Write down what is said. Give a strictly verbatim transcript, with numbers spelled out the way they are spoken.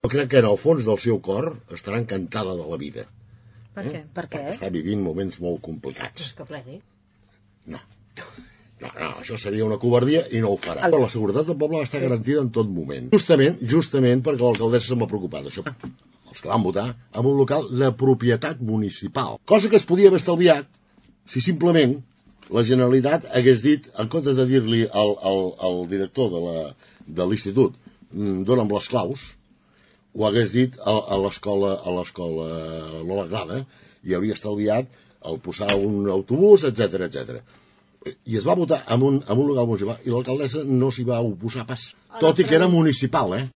Jo crec que en el fons del seu cor estarà encantada de la vida. Per què? Per què? Perquè està vivint moments molt complicats. Que plegui. No. No, no, això seria una covardia i no ho farà. Però la seguretat del poble està garantida en tot moment. Justament, justament perquè l'alcaldessa se m'ha preocupat d'això. Els que van votar en un local de propietat municipal. Cosa que es podia haver estalviat si simplement la Generalitat hagués dit, en comptes de dir-li al, al, al director de l'institut, dona'm les claus, ho hagués dit a, a l'escola a l'escola Lola Grada i hauria estalviat el posar un autobús, etcètera, etcètera. I es va votar en un, en un local municipal i l'alcaldessa no s'hi va oposar pas, tot i que era municipal, eh?